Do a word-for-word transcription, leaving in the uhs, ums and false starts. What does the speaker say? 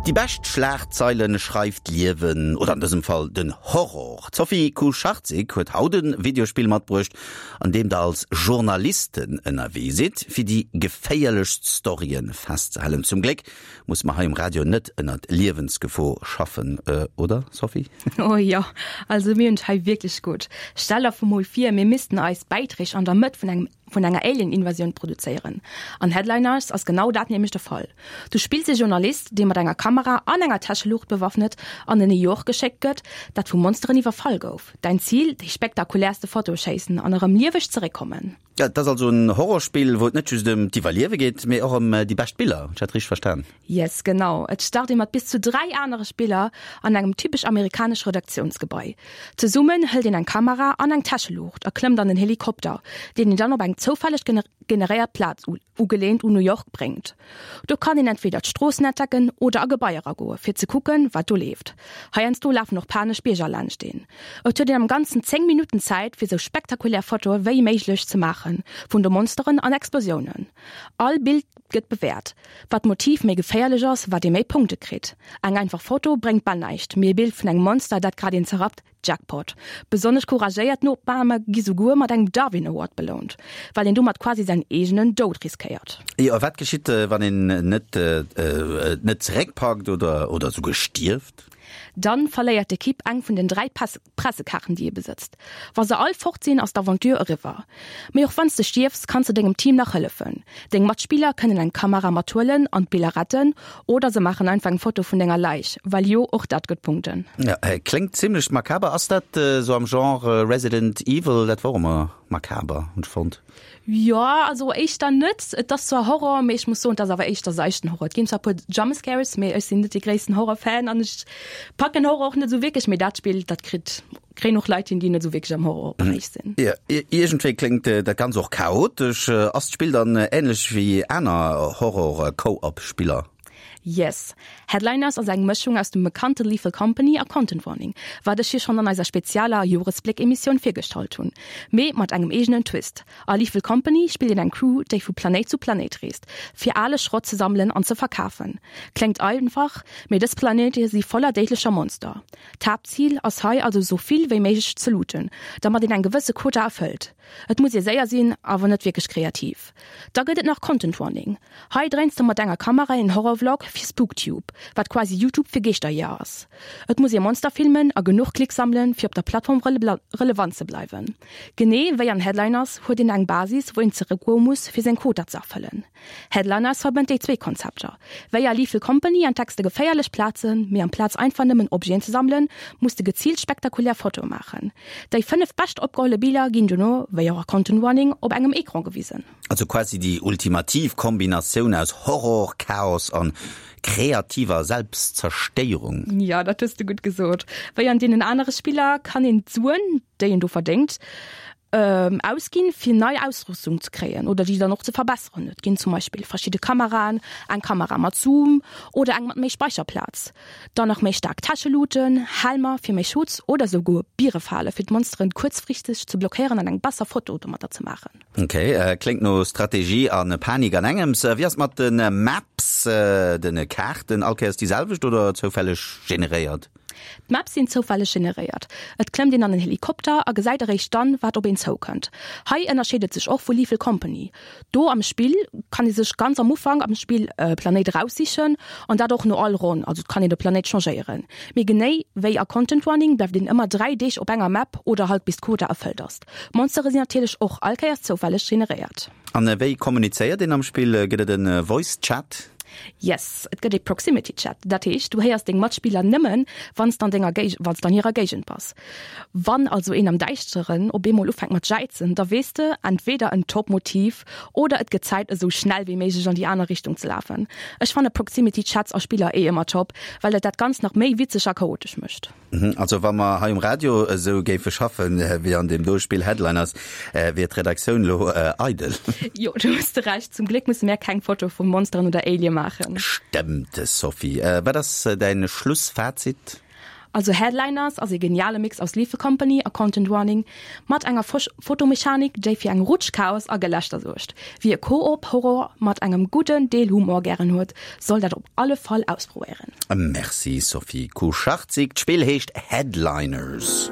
Déi bescht Schlagzeilen schreift d'Liewen, oder an dësem Fall den Horror. D'Sophie Kucharczyk huet haut e Videospill matbruecht, an deem der als Journalisten ënnerwee sidd, fir déi geféierlechst Storyen festzehalen. Zum Gléck musse mer hei um Radio net ënnert Liewensgefor schaffen, oder Sophie? Oh jo, also mir hunn et hei wierklech gutt. Stell der mol vir, mir missten eis Bäiträg an der Mëtt vun engem vun enger Alien-Invasioun produzéieren. An Headliners ass genau dat nämlech de Fall. Du spills e Journalist, dee mat enger Kamera an enger Täscheluucht bewaffnet an en New York geschéckt gëtt, dat vu Monsteren iwwerfall gouf. Däin Zil, déi spektakuläerste Fotoe schéissen an erëm lieweg zeréckkommen. Ja, et ass also en Horrorspill, wou et net just ëm d'Iwwerliewe geet, mee och ëm déi bescht Biller. Hunn ech dat richteg verstan? Yes, genau. Et start ee mat bis zu dräi anere Spiller an engem typesch amerikanesch Redaktiounsgebai. Zesummen hëlt een eng Kamera an eng Täscheluucht a klëmmt an en Helikopter, deen een dann op eng zoufälleg generéiert Plaz, ugeleent un New York, bréngt. Do kann een entweder d'Stroossen entdecken oder a Gebaier eragoen, fir ze kucken, wat do leeft. Heiansdo lafen och panesch Bierger laanscht een. Et huet een am Ganzen zéng Minutten Zäit, fir sou spektakulär Fotoe wéi méiglech ze maachen, vun de Monsteren an Explosiounen. All Bild gëtt bewäert. Wat d'Motiv méi geféierlech ass, wat ee méi Punkte kritt. Eng einfach Foto bréngt bal näischt, mee e Bild vun engem Monster, dat grad een zerrappt, Jackpot. Besonnesch couragéiert Opname gi souguer mat engem Darwin Award belount, well een domat quasi säin eegenen Doud riskéiert. Jo, a wat geschitt, wann een net net zeréckpackt oder oder souguer stierft? Dann verléiert d'Ekipp eng vun den dräi Pressekaarten, déi ee besëtzt. Wa se all fort sinn, ass d'Aventure eriwwer. Mee och wann s de stierfs, kanns de dengem Team nach hëllefen. Deng Matspiller kënnen eng Kamera mathuelen an d'Biller retten, oder se maachen einfach eng Foto vun denger Läich, well jo, och dat gëtt Punkten. Jo, kléngt zimmlech makaber. Ass dat esou am Genre Resident Evil? Dat wor ëmmer makaber, hunn ech fonnt. Jo, also éischter net. Et ass zwar Horror, mee ech muss soen, et ass awer éischter seichten Horror. Et ginn zwar e puer Jumpscares, mee ech sinn net dee gréissten Horror-Fan an ech packen Horror och net esou wierklech. Mee dat Spill, dat kritt, kréien och Leit hin, déi net esou wierklech am Horror-Beräich sinn. Jo, iergendwéi kléngt dat Ganzt och chaotesch. Ass d'Spill dann änlech wéi aner Horror-Co-op-Spiller? Yes. Headliners ass eng Mëschung aus dem bekannte Lethal Company a Content Warning, wat ech jo schonn an eiser spezialer Joresbléck-Emissioun virgestallt hunn, mee mat engem eegenen Twist. A Lethal Company spillt een eng Crew, déi vu Planéit zu Planéit reest, fir ale Schrott ze sammelen an ze verkafen. Kléngt einfach, mee dës Planéite si voller déidlecher Monster. D'Haaptzil ass hei also esou vill wéi méiglech ze looten, damat een eng gewësse Quota erfëllt. Et muss ee séier sinn, awer net wierklech kreativ. Da gëtt et nach Content Warning. Hei dréins de mat enger Kamera een Horror-Vlog fir Spooktube, wat quasi YouTube fir Geeschterjeeër ass. Et muss ee Monster filmen a genuch Klicks sammelen, fir op der Plattform relevant ze bleiwen. Genee wéi an Headliners huet een eng Basis, wou een zeréckgoe muss, fir seng Quota ze erfëllen. Headliners verbënnt déi zwee Konzepter. Wéi a Lethal Company entdecks de geféierlech Plazen, mee amplaz einfach nëmmen Objeten ze sammelen, muss de geziilt spektakulär Fotoe maachen. Déi fënnef bescht opgeholle Biller ginn dono, wéi och a Content Warning, op engem Ecran gewisen. Also quasi déi ultimativ Kombinatioun aus Horror, Chaos an kreativer Selbstzerstéierung. Jo, dat hues de gutt gesot. Wéi an deenen anere Spiller kann een d'Suen, déi een do verdéngt, ausginn, fir nei Ausrüstung ze kréien oder déi dann och ze verbesseren. Et ginn zum Beispill verschidde Kameraen, eng Kamera mat Zoom oder eng mat méi Speicherplaz, dann nach méi staark Täscheluuten, Helmer fir méi Schutz oder souguer Bierefale fir d'Monsteren kuerzfristeg ze blockéieren an eng besser Foto domatter ze maachen. Ok, kléngt no Strategie a Panik an engems. Wéi ass et mat de Maps, de Kaarten? All Kéiers déi selwecht oder zoufälleg generéiert? D'Maps sinn zoufälleg generéiert. Et klëmmt een an en Helikopter a gesäit eréischt dann, wat op een zoukënnt. Hei ënnerscheet et sech och vu Lethal Company. Do am Spill kann ee sech ganz am Ufank am Spill e Planéit eraussichen an dat och no all Ronn, also et kann een de Planéit changéieren. Mee genee wéi a Content Warning bleift een ëmmer dräi Deeg op enger Map oder halt bis d'Quota erfëllt ass. D'Monstere sinn natierlech och all Kéiers zoufälleg generéiert. An wéi kommunizéiert een am Spill? Gëtt et e Voice Chat? Yes, et gëtt ee Proximity Chat. Dat heescht, du héiers deng Matspiller nëmmen, wann s de an denger Géig-, wann s de an hirer Géigend bass. Wann also een am Däischteren op eemol ufänkt mat jäizen, da weess de, entweder en top Motiv oder et gëtt Zäit esou schnell wéi méiglech an déi aner Richtung ze lafen. Ech fanne Proximity Chats a Spiller eh ëmmer top, well et dat Ganzt nach méi witzeg a chaotesch mécht. Also wa mer hei um Radio esou géife schaffen wéi an deem do Spill Headliners, wier d'Redaktioun lo eidel. Jo, do hues de Recht. Zum Gléck musse mär keng Foto vu Monsteren oder Alie maachen. Stëmmt, Sophie. Wat ass däin Schlussfazit? Also Headliners ass e geniale Mix aus Lethal Company a Content Warning mat enger Fotomechanik, déi fir eng Rutsch Chaos a Gelächter suergt. Wie e Koop-Horror mat engem gudden Deel Humor gären huet, soll dat op alle Fall ausprobéieren. Merci Sophie Kucharczyk. D'Spill heescht Headliners.